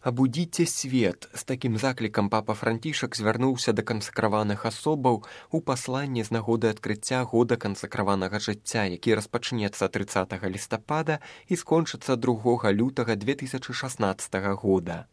Абудзіце свет. З такім заклікам папа Францішак звярнуўся да кансакраваных асобаў у пасланні з нагоды адкрыцця года кансакраванага жыцця, які распачнецца 30 лістапада і скончыцца 2 лютага 2016 года.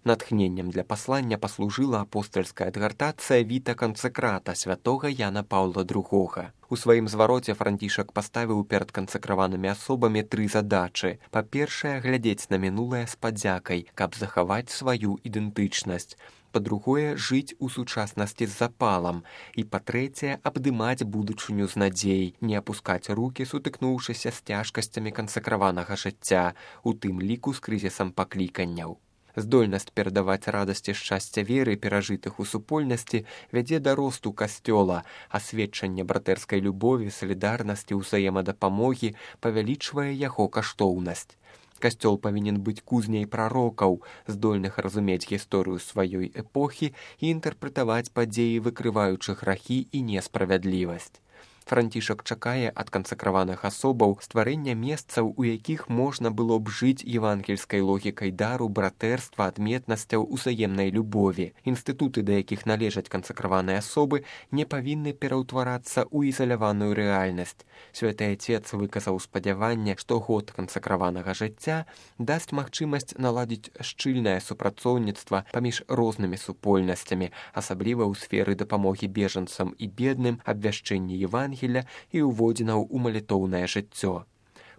Натхненнем для паслання паслужыла апостальская адгартацыя Віта Кансакрата святога Яна Паўла II. У сваім звароце Францішак паставіў перад кансакраванымі асобамі 3 задачы. Па-першае, глядзець на мінулае з падзякай, каб захаваць сваю ідэнтычнасць. Па-другое, жыць у сучаснасці з запалам. І па-трэцяе, абдымаць будучыню з надзей, не апускаць рукі, сутыкнуўшыся з цяжкасцямі кансакраванага жыцця, у тым ліку з крызісам пакліканняў. Здольнасць перадаваць радасці шчасця веры, перажытых у супольнасці, вядзе да росту касцёла, а сведчанне братэрскай любові, салідарнасці, ўзаемадапамогі павялічвае яго каштоўнасць. Касцёл павінен быць кузняй прарокаў, здольных разумець гісторыю сваёй эпохі і інтэрпрэтаваць падзеі, выкрываючы грахі і несправядлівасць. Францішак чакае ад кансакраваных асобаў стварэння месцаў, у якіх можна было б жыць евангельскай логікай дару, братэрства, адметнасцяў, узаемнай любові. Інстытуты, да якіх належаць кансакраваныя асобы, не павінны пераўтварацца ў ізаляваную рэальнасць. Святы Отец выказаў спадзяванне, што год кансакраванага жыцця дасць магчымасць наладзіць шчыльнае супрацоўніцтва паміж рознымі супольнасцямі, асабліва ў сферы дапамогі бежанцам і бедным, абвяшчэнні Евангелія і ўводзінаў у малітоўнае жыццё.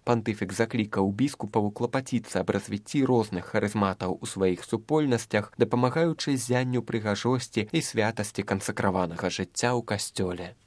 Пантыфік заклікаў біскупаў клапаціцца аб развіцці розных харызматаў у сваіх супольнасцях, дапамагаючы ззянню прыгажосці і святасці кансакраванага жыцця ў касцёле.